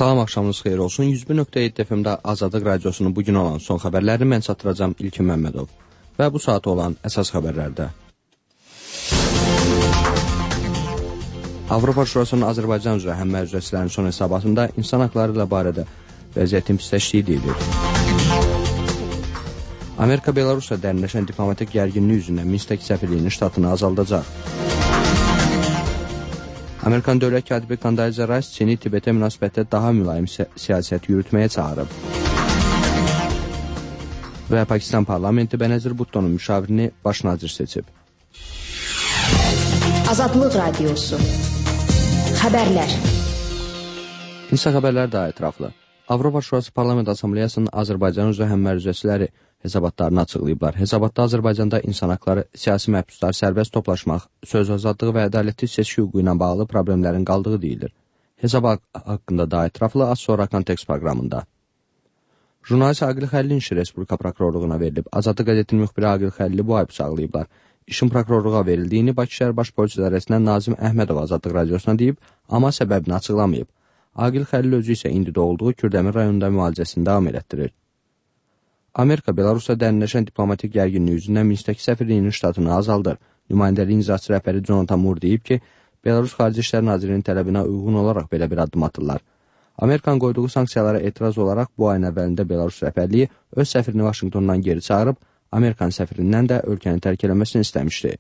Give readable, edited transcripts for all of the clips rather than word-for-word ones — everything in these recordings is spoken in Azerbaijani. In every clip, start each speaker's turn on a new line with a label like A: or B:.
A: Salam, axşamınız xeyir olsun. 101.7 FM-də Azadlıq Radiosunun bugün olan son xəbərlərini mən çatdıracağım İlkin Məmmədov. Və bu saat olan əsas xəbərlərdə. Avropa Şurasının Azərbaycan üzrə həmmərcəsilərin son hesabatında insan haqları ilə barədə vəziyyətin pisləşdiyi deyilir. Amerika Belarusla dərinləşən diplomatik gərginlik üzrə Minskdəki səfirliyinin ştatını azaldacaq. Amerikan dövlət katibi Condoleezza Rice Çini Tibetə münasibətdə daha mülayim siyasət yürütməyə çağırıb. Və Pakistan parlamenti Benazir Bhuttonun müşavirini baş nazir seçib.
B: Azadlıq Radiosu. Xəbərlər.
A: İnsan xəbərləri daha ətraflı. Avropa Şurası Parlament Assambleyasının Azərbaycan üzrə həmmərcəsiləri hesabatlarını açıqlayıblar. Hesabatda Azərbaycanda insan haqları, siyasi məhbuslar, sərbəst toplaşmaq, söz azadlığı və ədalətli seçki hüququ ilə bağlı problemlərin qaldığı deyilir. Hesabat haqqında daha ətraflı az sonra kontekst proqramında. Jurnalist Aqil Xəlilin işi Respublika prokurorluğuna verilib. Azadlıq qəzetinin müxbiri Aqil Xəlili bu ay bıçaqlayıblar. İşin prokurorluğa verildiyini Bakı şəhər baş polis idarəsindən Nazim Əhmədov Azadlıq Radiosuna deyib, amma səbəbini açıqlamayıb. Aqil Xəlil özü isə indi doğulduğu Kürdəmir rayonunda müalicəsini davam elətdirir. Amerika Belarusla dərinləşən diplomatik gərginlik üzündən Minskdəki səfirliyinin ştatını azaldır. Nümayəndəliyin icraçı rəhbəri Jonathan Moore deyib ki, Belarus Xarici İşlər Nazirinin tələbinə uyğun olaraq belə bir addım atırlar. Amerikanın qoyduğu sanksiyalara etiraz olaraq bu ayın əvvəlində Belarus rəhbərliyi öz səfirini Vaşinqtondan geri çağırıb, Amerikan səfirindən də ölkəni tərk eləməsini istəmişdi.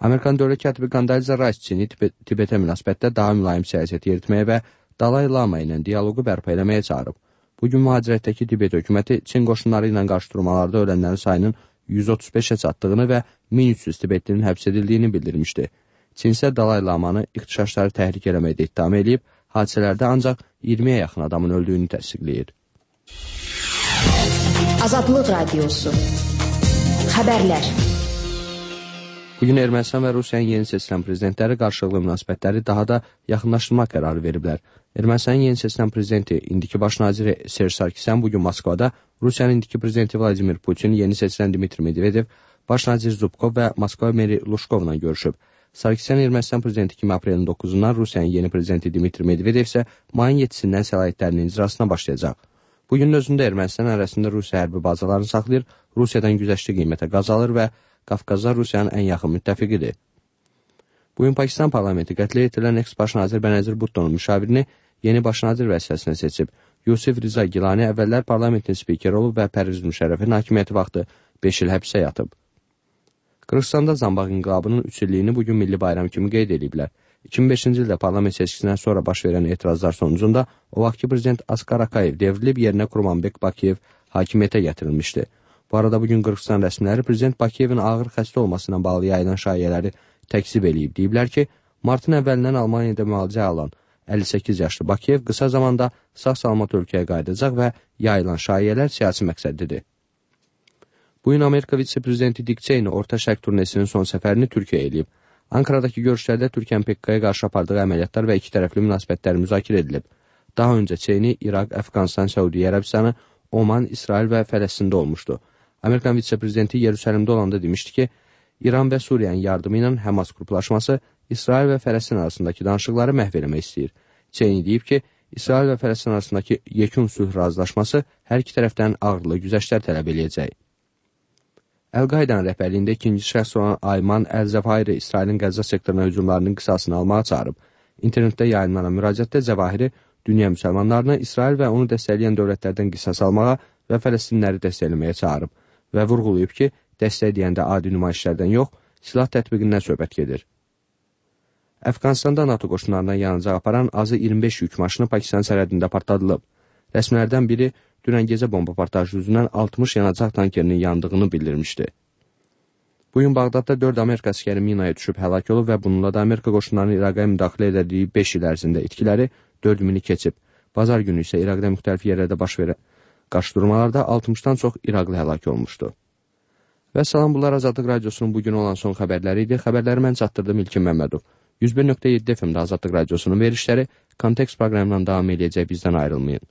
A: Amerikan dövlət katibi Condoleezza Rice Çini Tibetə münasibətdə daha mülayim siyasət yeritməyə və Dalai Lama ilə dialoqu bərpa eləməyə çağırıb. Bugün mühacirətdəki Tibet hökuməti Çin qoşunları ilə qarşıdurmalarda ölənlərin sayının 135-ə çatdığını və 1300 Tibetlinin həbs edildiyini bildirmişdi. Çin isə Dalai Lamanı ixtişaşları təhrik eləməkdə ittiham edib, hadisələrdə ancaq 20-yə yaxın adamın öldüyünü təsdiqləyir.
B: Azadlıq Radiosu. Xəbərlər.
A: Bugün Ermənistan və Rusiyanın yeni seçilən prezidentləri qarşılıqlı münasibətləri daha da yaxınlaşdırmaq qərarı veriblər. Ermənistanın yeni seçilən prezidenti, indiki baş naziri Serj Sarkisyan bugün Moskvada, Rusiyanın indiki prezidenti Vladimir Putin, yeni seçilən Dmitri Medvedev, baş nazir Zubkov və Moskva meri Luşkovla görüşüb. Sarkisyan Ermənistan prezidenti kimi aprelin 9-dan, Rusiyanın yeni prezidenti Dmitri Medvedev isə mayın 7-sindən səlahiyyətlərinin icrasına başlayacaq. Bugünün özündə Ermənistan ərazisində Rusiya hərbi bazalarını saxlayır, Rusiyadan güzəştli qiymətə qaz alır və Qafqazlar Rusiyanın ən yaxın müttəfiqidir. Bugün Pakistan parlamenti qətlə yetirilən eks-baş nazir Benazir Bhuttonun müşavirini yeni baş nazir vəzifəsinə seçib. Yusif Riza Gilani əvvəllər parlamentin spikeri olub və Pərviz Müşərrəfin hakimiyyəti vaxtı 5 il həbsə yatıb. Qırğızstanda Zambaq inqilabının 3 illiyini bugün milli bayram kimi qeyd ediblər. 2005-ci ildə parlament seçkisindən sonra baş verən etirazlar sonucunda o vaxtki prezident Askar Akayev devrilib yerinə Kurmanbek Bakiyev hakimiyyətə gətirilmişdi. Bu arada bugün Qırğızstan rəsmiləri prezident Bakiyevin ağır xəstə olmasına bağlı yayılan şayiələri təkzib eləyib. Deyiblər ki, martın əvvəlindən Almaniyada müalicə alan 58 yaşlı Bakiyev qısa zamanda sağ-salamat ölkəyə qayıdacaq və yayılan şayiələr siyasi məqsədlidir. Bugün Amerika vitse-prezidenti Dick Cheney Orta Şərq turnesinin son səfərini Türkiyəyə eləyib. Ankaradakı görüşlərdə Türkiyənin PKK-ya qarşı apardığı əməliyyatlar və iki tərəfli münasibətlər müzakirə edilib. Daha öncə Cheney İraq, Əfqanistan, Səudiyyə Ərəbistanı, Oman, İsrail və Fələstində olmuşdu. Amerikan vitse-prezidenti Yerusəlimdə olanda demişdi ki, İran və Suriyanın yardımı ilə Həmas qruplaşması İsrail və Fələstin arasındakı danışıqları məhv eləmək istəyir. Cheney deyib ki, İsrail və Fələstin arasındakı yekun sülh razılaşması hər iki tərəfdən ağırlı güzəştlər tələb eləyəcək. Əl-Qaidanın rəhbərliyində ikinci şəxs olan Ayman Əl-Zəvahiri İsrailin Qəzza sektoruna hücumlarının qisasını almağa çağırıb. İnternetdə yayınlanan müraciətdə Zəvahiri dünya müsəlmanlarını İsrail və onu dəstəkləyən dövlətlərdən qisas almağa və Fələstinləri dəstəkləməyə çağırıb və vurğulayıb ki, dəstək deyəndə adi nümayişlərdən yox, silah tətbiqindən söhbət gedir. Əfqanistanda NATO qoşunlarına yanacaq aparan azı 25 yük maşını Pakistan sərhədində partladılıb. Rəsmilərdən biri dünən gecə bomba partlayışı yüzündən 60 yanacaq tankerinin yandığını bildirmişdi. Bugün Bağdadda 4 Amerika əskəri minaya düşüb həlak olub və bununla da Amerika qoşunlarının İraqa müdaxilə edildiyi 5 il ərzində itkiləri 4000-i keçib. Bazar günü isə İraqda müxtəlif yerlərdə baş verən qarşıdurmalarda 60-dan çox İraqlı həlak olmuşdu. Və salam, bunlar Azadlıq Radiosunun bugün olan son xəbərləri idi. Xəbərləri mən çatdırdım İlkin Məmmədov. 101.7 FM-də Azadlıq Radiosunun verişləri kontekst proqramından davam edəcək, bizdən ayrılmayın.